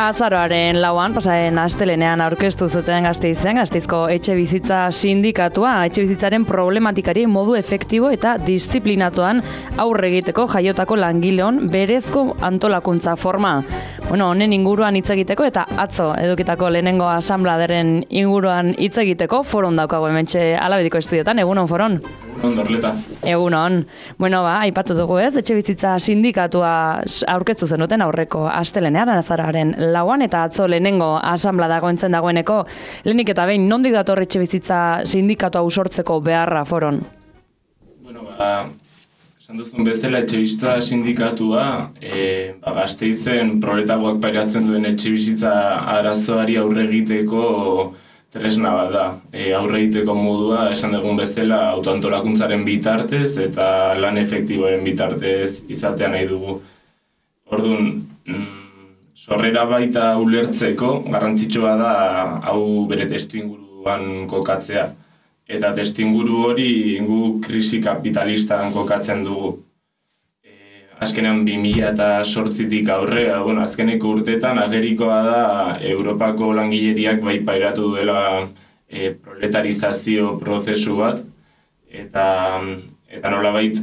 Azaroaren 4 pasaren astelenean aurkeztu zuten Gasteizko etxe bizitza sindikatua, etxe bizitzaren problematikari modu efektibo eta disiplinatuan aurre egiteko jaiotako langileon berezko antolakuntza forma. Honen inguruan hitz egiteko eta atzo edukitako lehenengo asanbladeren inguruan hitz egiteko foron daukago hementxe Alabediko estudiotan. Egunon, foron? Dorleta. Egunon. Aipatu dugu ez, etxe bizitza sindikatua aurkeztu zenuten aurreko astelenean, azaroaren 4 eta atzo lehenengo asanblada dagoeneko, lehenik eta behin, nondik dator etxe bizitza sindikatua usortzeko beharra, foron? Esan duzun bezala etxe bizitza sindikatua, Gasteizen proletargoak pairatzen duen etxe bizitza arazoari aurre egiteko tresna bat da. Aurre egiteko modua, esan dugun bezala, autoantolakuntzaren bitartez eta lan efektiboaren bitartez izatea nahi dugu. Orduan, sorrera baita ulertzeko, garrantzitsua da hau bere testuinguruan kokatzea. Eta testuinguru hori gu krisi kapitalistan kokatzen dugu. Azkenean 2008tik aurrera, azkeneko urteetan agerikoa da Europako langileriak bai pairatu duela proletarizazio prozesu bat, eta nolabait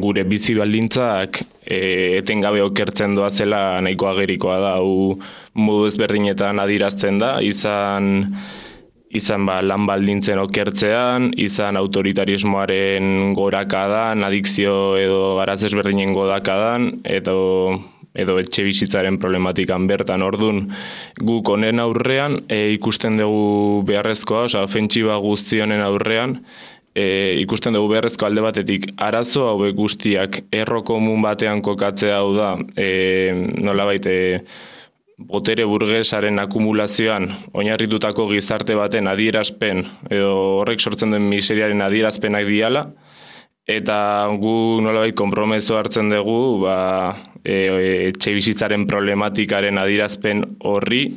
gure bizi baldintzak etengabe okertzen doazela nahiko agerikoa da, hau modu ezberdinetan adierazten da, izan lan baldintzen okertzean, izan autoritarismoaren gorakadan, adikzio edo araz ezberdinen godakadan, edo etxe bizitzaren problematikan bertan. Orduan, guk honen aurrean ikusten dugu beharrezkoa, ofentsiba guzti honen aurrean, ikusten dugu beharrezko alde batetik arazo hauek guztiak erro komun batean kokatzea hau da, nolabait botere burgesaren akumulazioan oinarritutako gizarte baten adierazpen edo horrek sortzen duen miseriaren adierazpenak diala, eta gu nolabait konpromeso hartzen dugu etxe bizitzaren problematikaren adierazpen horri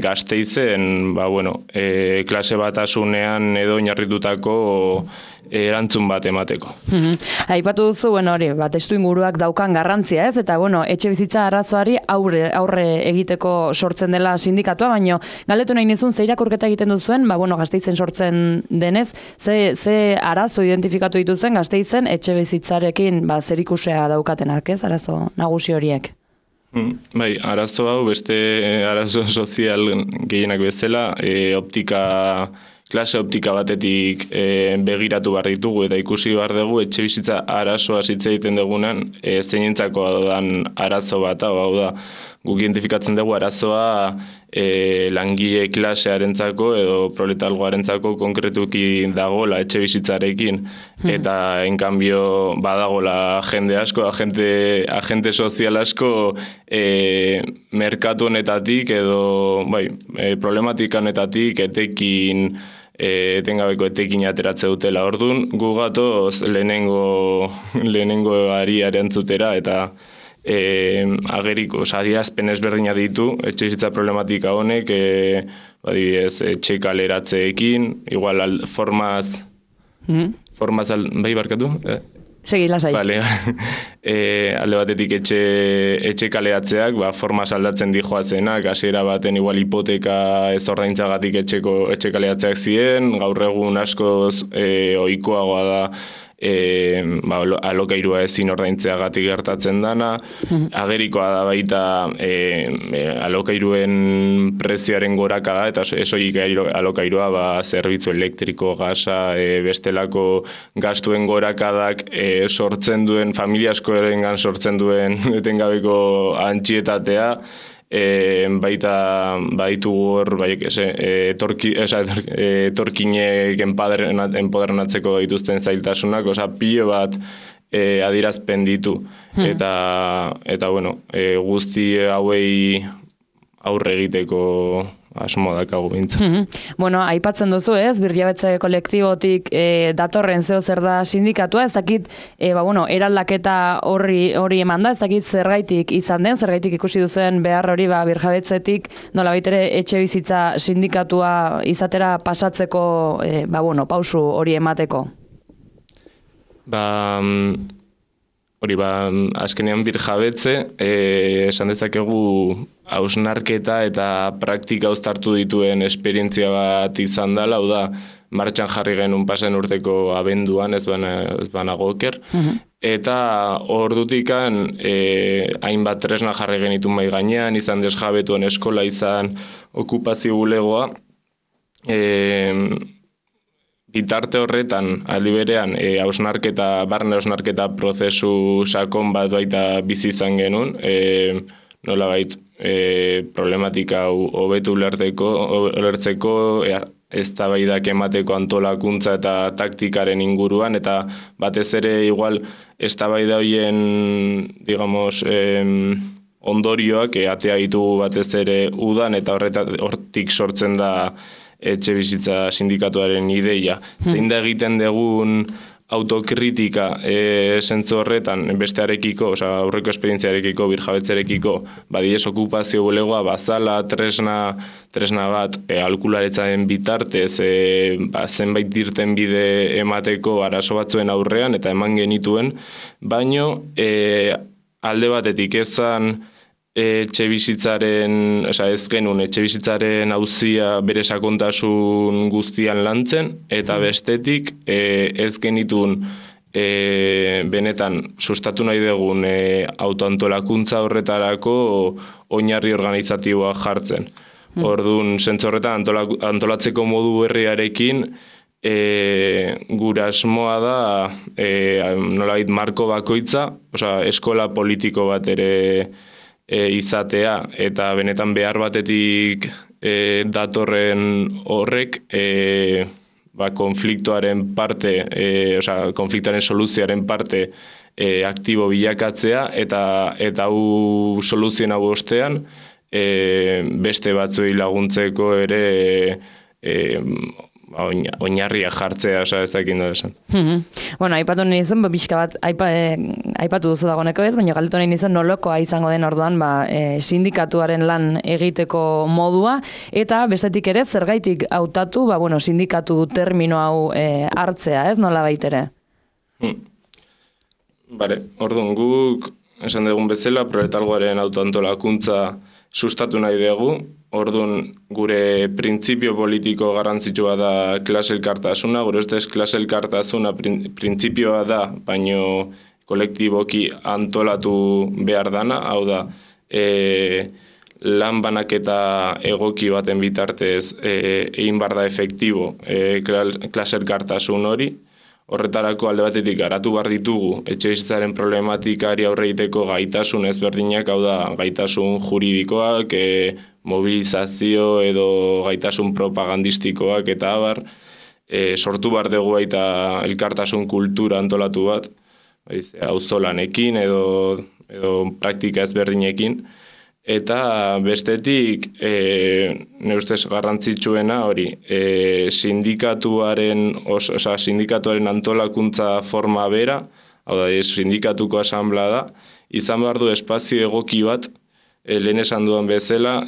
Gasteizen klase batasunean edo oinarritutako erantzun bat emateko. Aipatu duzu, testuinguruak daukan garrantzia ez, eta etxe bizitza arazoari aurre egiteko sortzen dela sindikatua, baina galdetu nahi nizun, ze irakurketa egiten duzuen, Gasteizen sortzen denez, ze arazo identifikatu dituzuen Gasteizen etxe bizitzarekin zerikusia daukatenak, ez, arazo nagusi horiek? Bai, arazo hau, beste arazo sozial gehienak bezala, klase optika batetik begiratu behar ditugu eta ikusi behar dugu etxe bizitza arazoa hitz egiten dugunan zeinentzako dan arazo bat, hau da, guk identifikatzen dugu arazoa langile klasearentzako edo proletalgoarentzako konkretuki dagola etxe bizitzarekin, eta enkanbio badagola jende asko, agente sozial asko merkatu honetatik edo problematika honetatik etengabeko etekin ateratze dutela. Orduan, gu gatoz lehenengo ari arantzutera eta ageriko, adierazpen ezberdina ditu, etxe bizitza problematika honek, etxe kaleratzeekin, igual formaz, bai barkatu? Segi, lasai. Vale. Alde batetik etxe kaleratzeak, formaz aldatzen dijoazenak, hasiera baten igual hipoteka ez ordaintzagatik etxe kaleratzeak ziren, gaur egun askoz ohikoagoa da alokairua ezin ordaintzeagatik gertatzen dana, agerikoa da baita alokairuen prezioaren gorakada, eta esoik alokairua zerbitzu elektriko, gasa, bestelako gastuen gorakadak sortzen duen, familia askorengan sortzen duen etengabeko antxietatea, baita baditu hor, etorkinek enpodernatzeko dituzten zailtasunak, pilo bat adierazpen ditu. Eta guzti hauei aurre egiteko asmo dakago bintzat. Aipatzen duzu ez, birjabetze kolektibotik datorren zer da sindikatua, ez dakit, eraldaketa hori eman da, ez dakit zergaitik izan den, zergaitik ikusi duzuen behar hori birjabetzetik, nola baitere etxe bizitza sindikatua izatera pasatzeko, pausu hori emateko. hori azkenean birjabetze, esan dezakegu hausnarketa eta praktika uztartu dituen esperientzia bat izan dela, hau da, martxan jarri genuen pasen urteko abenduan, ez banago oker, eta ordutikan hainbat tresna jarri genitu mai gainean, izan desjabetuen eskola, izan okupazio bulegoa, bitarte horretan, aldi berean, barne hausnarketa prozesu sakon bat baita bizi izan genuen, nolabait problematika hobetu ulertzeko, eztabaidak emateko antolakuntza eta taktikaren inguruan, eta batez ere igual eztabaida horien, digamos, ondorioak atea ditugu batez ere udan, eta hortik sortzen da etxe bizitza sindikatuaren ideia. Zein da egiten dugun autokritika zentzu horretan bestearekiko, aurreko esperientziarekiko, birjabetzerekiko, badiez okupazio bulegoa bazala, tresna bat, alkularetzaren bitartez, zenbait dirten bide emateko arazo batzuen aurrean, eta eman genituen, baino alde batetik ezan etxe bizitzaren auzia bere sakontasun guztian lantzen, eta bestetik ez genitun benetan sustatu nahi dugun autoantolakuntza horretarako oinarri organizatiboa jartzen. Orduan, zentzu horretan antolatzeko modu berriarekin gure asmoa da nolabait marko bakoitza, eskola politiko bat ere izatea, eta benetan behar batetik datorren horrek konfliktoaren parte, konfliktoaren soluzioaren parte aktibo bilakatzea, eta hau soluzioen hau ostean beste batzuei laguntzeko ere oinarria jartzea, ezakin da esan. Bueno, aipatu nahi izan, bizka bat aipatu duzu dagoeneko ez, baina galdetu nahi izan nolokoa izango den orduan sindikatuaren lan egiteko modua, eta bestetik ere zergaitik hautatu, sindikatu termino hau hartzea, ez nola baitere? Orduan guk, esan dugun bezala, proletalgoaren autoantolakuntza sustatu nahi dugu, orduan gure printzipio politiko garrantzitsua da klase elkartasuna, gure ustez klase elkartasuna printzipioa da, baino kolektiboki antolatu behar dana, hau da, lan banaketa egoki baten bitartez egin behar da efektibo klase elkartasun hori. Horretarako alde batetik garatu behar ditugu etxebizitzaren problematikari aurre egiteko gaitasun ezberdinak, hau da gaitasun juridikoak, mobilizazio edo gaitasun propagandistikoak eta abar, sortu behar dugu baita elkartasun kultura antolatu bat, auzolanekin edo praktika ezberdinekin, eta bestetik, nire ustez garrantzitsuena hori, sindikatuaren antolakuntza forma bera, hau da, sindikatuko asamblea da, izan behar du espazio egoki bat, lehen esan duan bezala,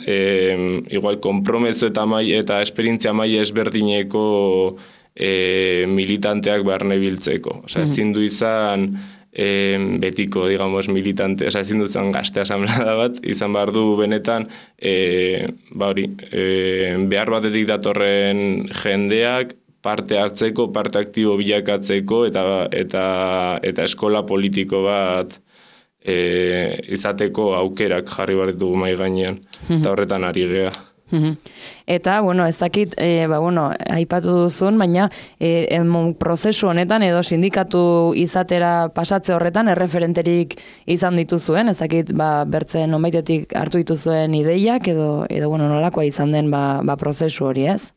igual kompromezu eta esperientzia maila ezberdineko militanteak barne biltzeko. Ezin du izan betiko, digamos, militante, ezin du izan gazte asamblea bat, izan behar du benetan, behar batetik datorren jendeak, parte hartzeko, parte aktibo bilakatzeko, eta eskola politiko bat izateko aukerak jarri behar ditugu mai gainean, eta horretan ari gea. Eta, ez dakit, aipatu duzun, baina prozesu honetan edo sindikatu izatera pasatze horretan erreferenterik izan dituzuen, ez dakit, bertzen onbaitetik hartu dituzuen ideiak edo nolakoa izan den prozesu hori, ez?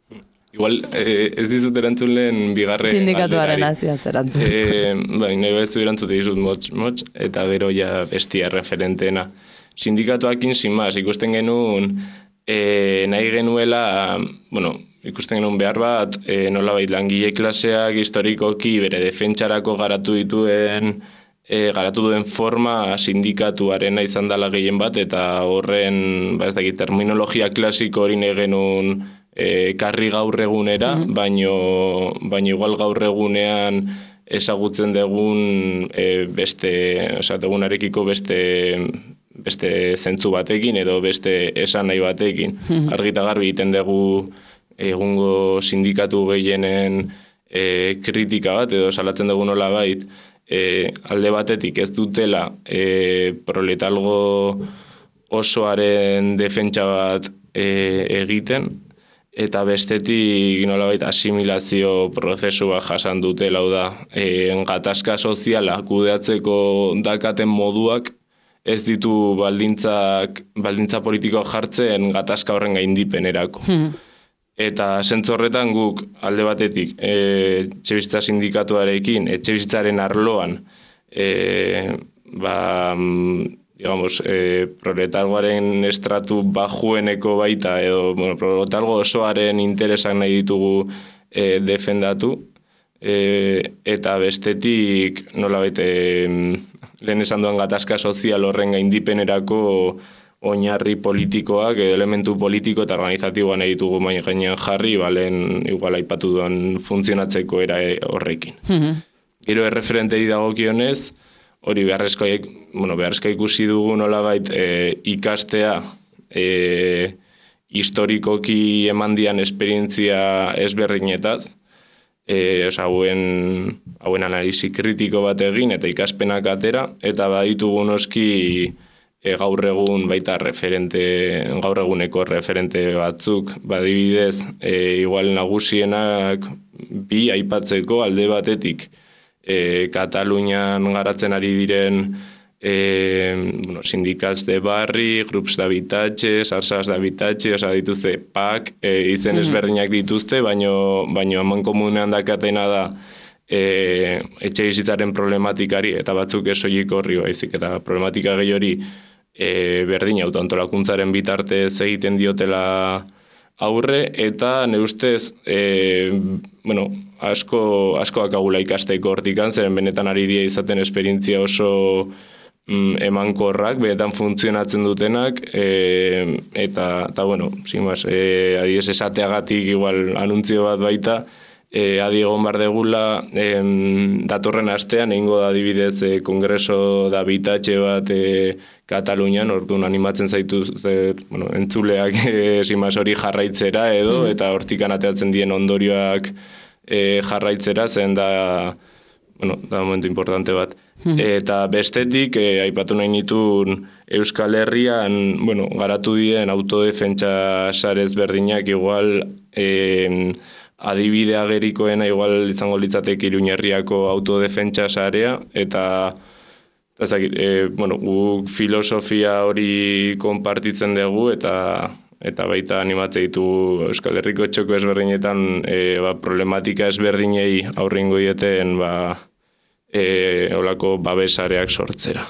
Igual, ez dizut erantzun lehen bigarren sindikatuaren azia zerantzun. Nahi bezu erantzute dizut motz, eta gero ja bestia referentena. Sindikatuakin, sin más, ikusten genuen nahi genuela, ikusten genuen behar bat, nolabait langile klaseak historikoki bere defentsarako garatu duen forma sindikatuarena izan dela gehien bat, eta horren, terminologia klasiko hori nahi genuen karri gaur egunera, baino igual gaur egunean ezagutzen dugun degunarekiko beste zentzu batekin edo beste esan nahi batekin. Argita garbi egiten dugu egungo sindikatu gehienen kritika bat edo salatzen dugu nolabait alde batetik ez dutela proletalgo osoaren defentsa bat egiten eta bestetik nolabait asimilazio prozesu bat jasan dutela, hau da, gatazka soziala kudeatzeko dakaten moduak ez ditu baldintza politikoak jartzen gatazka horren gaindipenerako. Eta zentzu horretan guk alde batetik etxebizitza sindikatuarekin, etxebizitzaren arloan, proletargoaren estratu bajueneko baita, edo proletargo osoaren interesak nahi ditugu defendatu, eta bestetik nolabait lehen esan duen gatazka sozial horren gaindipenerako oinarri politikoak, elementu politiko eta organizatiboa nahi ditugu mai gainean jarri, balen igual aipatu duen funtzionatzeko era horrekin. Gero erreferentei dagokionez, hori beharrezkoa ikusi dugu nolabait ikastea historikoki emandian esperientzia ezberdinetaz, hauen analisi kritiko bat egin eta ikaspenak atera, eta baditugu noski gaur egun baita gaur eguneko referente batzuk, badibidez, igual nagusienak bi aipatzeko alde batetik, Katalunian garatzen ari diren sindikats de barri, grups d'habitatge, sarsas d'habitatge, dituzte PAK, izen ezberdinak dituzte, baino haman komunean dakatena da etxe bizitzaren problematikari, eta batzuk esoilik horri baizik, eta problematika gehi hori berdin autoantolakuntzaren bitartez egiten diotela aurre, eta nire ustez, asko akagula ikasteko hortikan, zeren benetan ari dia izaten esperientzia oso emankorrak, benetan funtzionatzen dutenak, eta adiez esateagatik igual anuntzio bat baita, adi egon bar degula datorren astean, egingo da adibidez kongreso da bitatxe bat Katalunian, orduan animatzen zaitu entzuleak hori jarraitzera edo, eta hortikan ateatzen dien ondorioak jarraitzera, zen da momentu importante bat. Eta bestetik, aipatu nahi nituen Euskal Herrian, garatu dien autodefentsa sarez berdinak, igual adibide agerikoena igual izango litzateke Iruñerriako autodefentsa sarea, eta guk filosofia hori konpartitzen dugu, eta baita animatze ditu Euskal Herriko txoko ezberdinetan problematika ezberdinei aurringo dieten olako babesareak sortzera.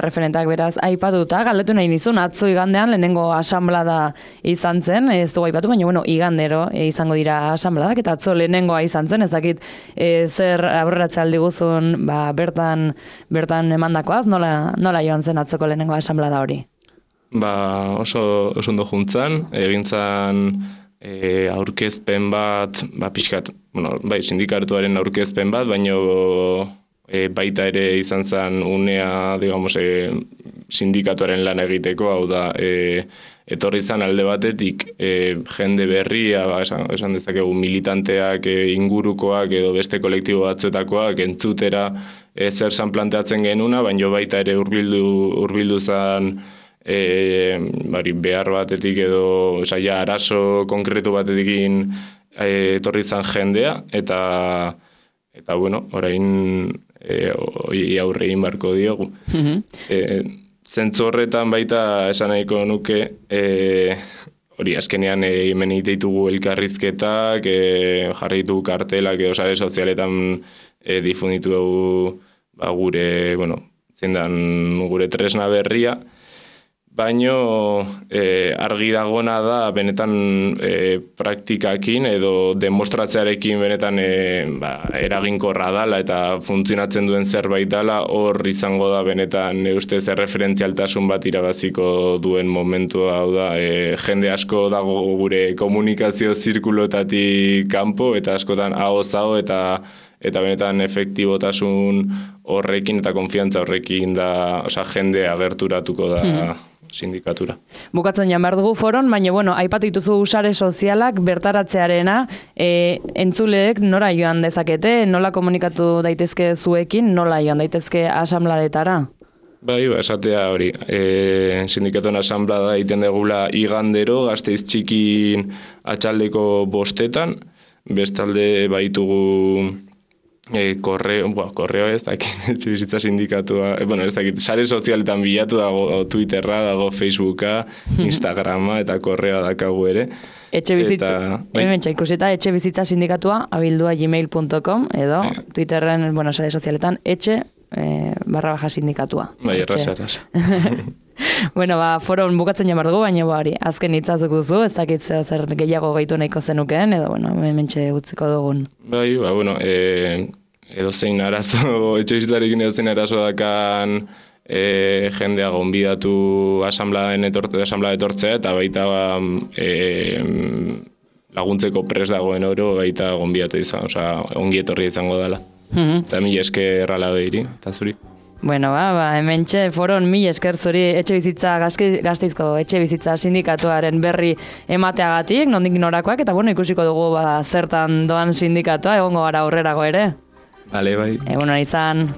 Referentak beraz aipatuta, galdetu nahi nizun, atzo igandean lehenengo asanblada izan zen, ez dugu aipatu, baina igandero izango dira asanbladak, eta atzo lehenengoa izan zen, ez dakit zer aurreratze aldi guzun bertan emandakoaz, nola joan zen atzoko lehenengo asanblada hori? Oso ondo juntzan, egintzan aurkezpen bat, pixkat, sindikatuaren aurkezpen bat, baino baita ere izan zen unea, sindikatuaren lan egiteko, hau da, etorri izan alde batetik jende berria, esan dezakegu militanteak, ingurukoak edo beste kolektibo batzuetakoak entzutera zer zan planteatzen genuna, baino baita ere hurbildu zen behar batetik edo arazo konkretu batetik etorri izan jendea, eta orain aurre egin barko diogu. Zentzu horretan baita esan nahiko nuke, hori azkenean hemen ditugu elkarrizketak, jarri ditugu kartelak, sare sozialetan difunditu dugu gure tresna berria, baino argi dagona da benetan praktikakin edo demostratzearekin benetan eraginkorra dala eta funtzionatzen duen zerbait dala, hor izango da benetan ustez erreferentzialtasun bat irabaziko duen momentua, hau da, jende asko dago gure komunikazio zirkulotatik kanpo eta askotan ahoz eta eta benetan efektibotasun horrekin eta konfiantza horrekin da, jende agerturatuko da sindikatura. Bukatzen jan behar dugu foron, baina, aipatu dituzu sare sozialak bertaratzearena, entzuleek nora joan dezakete, nola komunikatu daitezke zuekin, nola joan daitezke asanbladetara? Bai, esatea hori, sindikatuen asanblada egiten degula igandero, Gasteiz txikin atxaldeko 5:00, bestalde baitugu korreo ez dakit, etxebizitza sindikatua, ez dakit, sare sozialetan bilatu dago, Twitterra dago, Facebooka, Instagrama eta korreoa dakagu ere. Ikusita, etxebizitza sindikatua abildua@gmail.com edo Twitterren, sare sozialetan @sindikatua. Bai, erraza. Foron bukatzen jamar dugu, baina azken hitzazuk duzu, ez dakit zer gehiago gehitu nahiko zenukeen, edo, hementxe utziko dugun. Bai, edozein arazo, etxebizitzarekin edozein arazo dakan jendea gonbidatu asanblada etortzea, eta baita laguntzeko pres dagoen oro, baita gonbidatu izan, ongi etorri izango dela. Eta mila esker ala behiri, eta zuri. Hementxe foron mila esker zuri Gasteizko etxebizitza sindikatuaren berri emateagatik, nondik norakoak, eta ikusiko dugu zertan doan sindikatua, egongo gara aurrerago ere. Bale, bai. Egun hori izan.